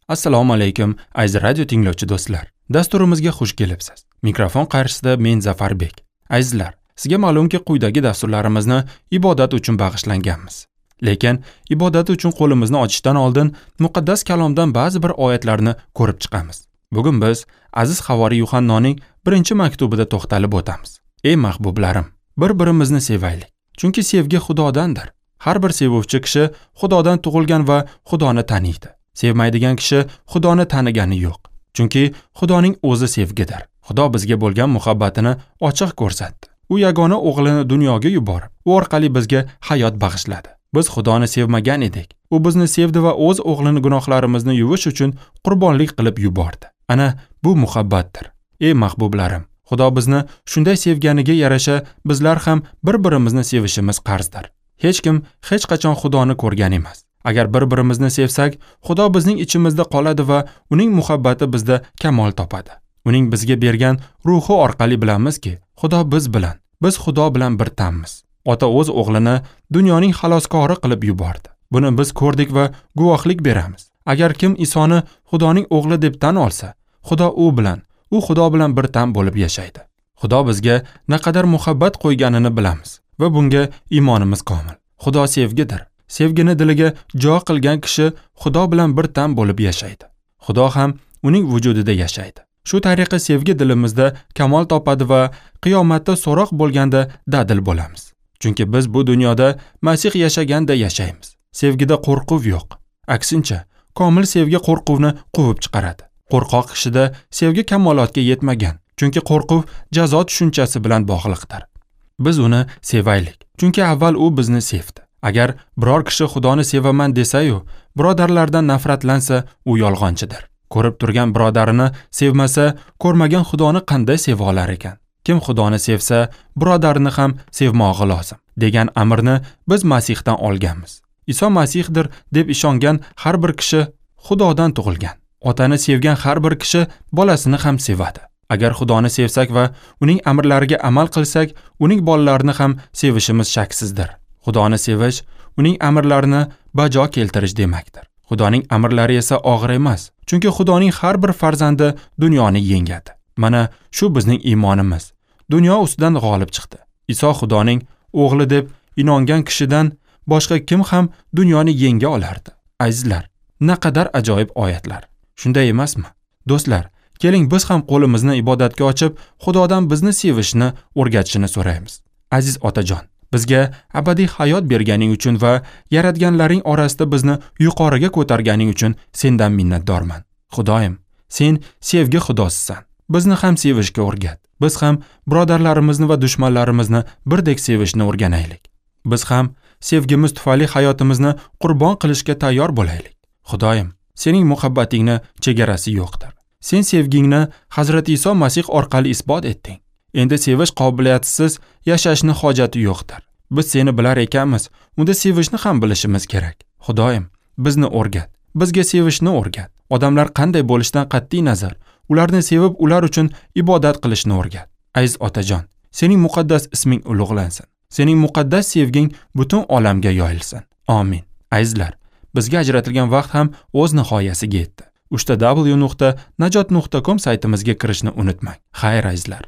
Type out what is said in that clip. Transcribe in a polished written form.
Assalomu alaykum, aziz radio tinglovchi do'stlar. Dasturimizga xush kelibsiz. Mikrofon qarshisida men Zafarbek. Azizlar, sizga ma'lumki, quyidagi dasturlarimizni ibodat uchun bag'ishlanganmiz. Lekin ibodat uchun qo'limizni ochishdan oldin muqaddas kalomdan ba'zi bir oyatlarni ko'rib chiqamiz. Bugun biz aziz havoriy Yuhannoning 1-maktubida to'xtalib o'tamiz. Ey mahbublarim, bir-birimizni sevaylik. Chunki sevgi Xudodandir. Har bir sevuvchi kishi Xudodan tug'ilgan va Xudoni taniydi. Sevmaydigan kishi Xudoni tanigani yo'q. Chunki Xudoning o'zi sevgidir. Xudo bizga bo'lgan muhabbatini ochiq ko'rsatdi. U yagona o'g'lini dunyoga yuborib, u orqali bizga hayot bag'ishladi. Biz Xudoni sevmagan edik. U bizni sevdi va o'z o'g'lini gunohlarimizni yuvish uchun qurbonlik qilib yubordi. Ana bu muhabbatdir. Ey mahbublarim, Xudo bizni shunday sevganiga yarasha bizlar ham bir-birimizni sevishimiz qarzdir. Hech kim hech qachon Xudoni ko'rgan emas. Agar bir-birimizni sevsak, Xudo bizning ichimizda qoladi va uning muhabbati bizda kamol topadi. Uning bizga bergan ruhi orqali bilamizki, Xudo biz bilan, biz Xudo bilan bir tanmiz. Ota o'z o'g'lini dunyoning xaloskori qilib yubordi. Buni biz ko'rdik va guvohlik beramiz. Agar kim Isoni Xudoning o'g'li deb tan olsa, Xudo u bilan, u Xudo bilan bir tan bo'lib yashaydi. Xudo bizga naqadar muhabbat qo'yganini bilamiz va bunga iymonimiz komil. Xudo sevgidir. Sevgini diliga jo qilgan kishi Xudo bilan bir tan bo'lib yashaydi. Xudo ham uning vujudida yashaydi. Shu tariqa sevgi dilimizda kamol topadi va qiyomatda so'roq bo'lganda dadil bo'lamiz. Chunki biz bu dunyoda Masih yashaganda yashaymiz. Sevgida qo'rquv yo'q. Aksincha, komil sevgi qo'rquvni quvib chiqaradi. Qo'rqoq kishida sevgi kamolotga yetmagan, chunki qo'rquv jazo tushunchasi bilan bog'liqdir. Biz uni sevaylik, chunki avval u bizni sevdi. Agar biror kishi Xudoni sevaman desa-yu, birodarlardan nafratlansa, u yolg'onchidir. Ko'rib turgan birodarini sevmasa, ko'rmagan Xudoni qanday seva olar ekan? Kim Xudoni sevsa, birodarini ham sevmog'i lozim, degan amrni biz Masihdan olganmiz. Iso Masihdir deb ishongan har bir kishi Xudodan tug'ilgan. Otani sevgan har bir kishi bolasini ham sevadi. Agar Xudoni sevsak va uning amrlariga amal qilsak, uning bolalarini ham sevishimiz shaksizdir. Xudoni sevish, uning amrlarini bajo keltirish demakdir. Xudoning amrlari esa og'ir emas, chunki Xudoning har bir farzandi dunyoni yengadi. Mana shu bizning iymonimiz. Dunyo ustidan g'olib chiqdi. Iso Xudoning o'g'li deb inongan kishidan boshqa kim ham dunyoni yenga olardi? Azizlar, naqadar ajoyib oyatlar. Shunday emasmi? Do'stlar, keling biz ham qo'limizni ibodatga ochib, Xudodan bizni sevishni o'rgatishini so'raymiz. Aziz otajon, bizga abadiy hayot berganing uchun va yaratganlaring orasida bizni yuqoriga ko'targaning uchun sendan minnatdorman. Xudoyim, sen sevgi Xudosisan. Bizni ham sevishga o'rgat. Biz ham birodarlarimizni va dushmanlarimizni birdek sevishni o'rganaylik. Biz ham sevgimiz tufayli hayotimizni qurbon qilishga tayyor bo'laylik. Xudoyim, sening muhabbatingni chegarasi yo'qdir. Sen sevgingni Hazrati Iso Masih orqali isbot etding. Endi sevish qobiliyatisiz yashashni hojati yo'qdir. Biz seni bilar ekanmiz, unda sevishni ham bilishimiz kerak. Xudoyim, bizni o'rgat. Bizga sevishni o'rgat. Odamlar qanday bo'lishidan qat'iy nazar, ularni sevib, ular uchun ibodat qilishni o'rgat. Aziz otajon, sening muqaddas isming ulug'lansin. Sening muqaddas sevging butun olamga yoyilsin. Amin. Azizlar, bizga ajratilgan vaqt ham o'z nihoyasiga yetdi. www.najot.com saytimizga kirishni unutmang. Xayr azizlar.